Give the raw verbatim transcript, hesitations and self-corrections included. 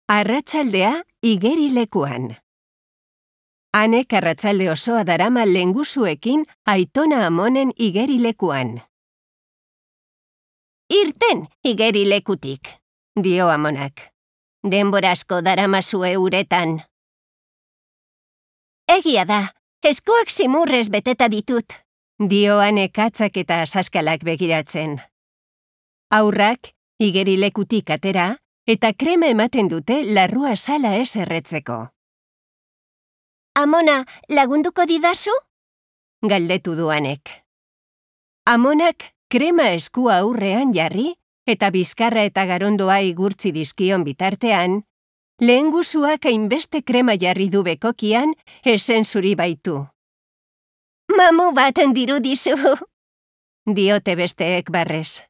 Arratsaldea igerilekuan. Anek arratsalde osoa darama lehengusuekin aitona amonen igerilekuan. Irten igerilekutik, dio amonak. Denbora asko daramazue uretan. Egia da, eskuak zimurrez beteta ditut, dio Anek atzak eta saskalak begiratzen. Haurrak igerilekutik atera eta krema ematen dute larrua sala ez erretzeko. Amona, lagunduko didazu? Galdetu du Anek. Amonak krema eskua aurrean jarri eta bizkarra eta garondoa igurtzi dizkion bitartean, lehengusuak hainbeste krema jarri du bekokian, esen zuri baitu. Mamu bat dirudizu, diote besteek barrez.